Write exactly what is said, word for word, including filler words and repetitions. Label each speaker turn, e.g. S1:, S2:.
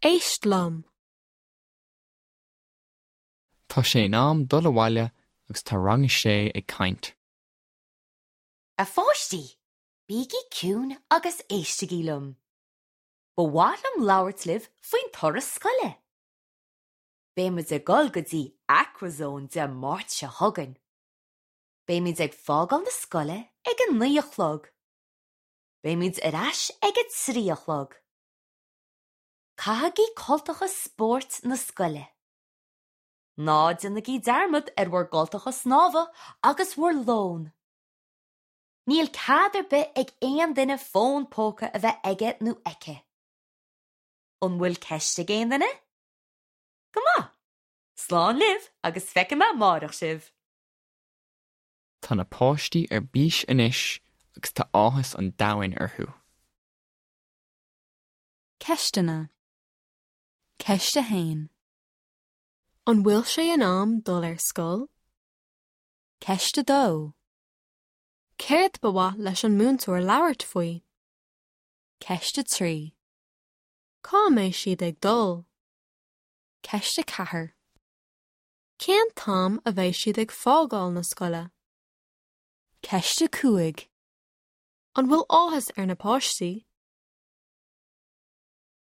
S1: Éist liom.
S2: Tá sé in am dul abhaile agus tá rang a sé ag caint.
S3: A pháistí, bígí ciúin agus éistigí liom. Ba mhaith liom labhairt libh faoin turas scoile. Beimid ag dul go dtí Aquazone Dé Máirt seo chugainn. Beimid ag fágáil na scoile ag a naoi a chlog. Beimid ar ais ag a trí a chlog. Caithigí cultacha spóirt na scoile. Ná déanaigí dearmad ar bhur gcultacha snámha agus bhur lón. Níl cead ar bith ag aon duine fón póca a bheith aige nó aici. An bhfuil ceist ag aon duine? Go maith! Slán libh agus feicfidh mé amárach sibh.
S2: Tá na páistí ar bís anois agus tá áthas an domhain orthu.
S4: Ceisteanna Ceist a haon.
S1: An bhfuil sé in am dul ar scoil?
S4: Ceist a dó.
S1: Céard ba mhaith leis an múinteoir labhairt faoi?
S4: Ceist a trí.
S1: Cá mbeidh siad ag dul?
S4: Ceist a ceathair.
S1: Cén t-am a bheidh siad ag fágáil na scoile?
S4: Ceist a cúig.
S1: An bhfuil áthas ar na páistí?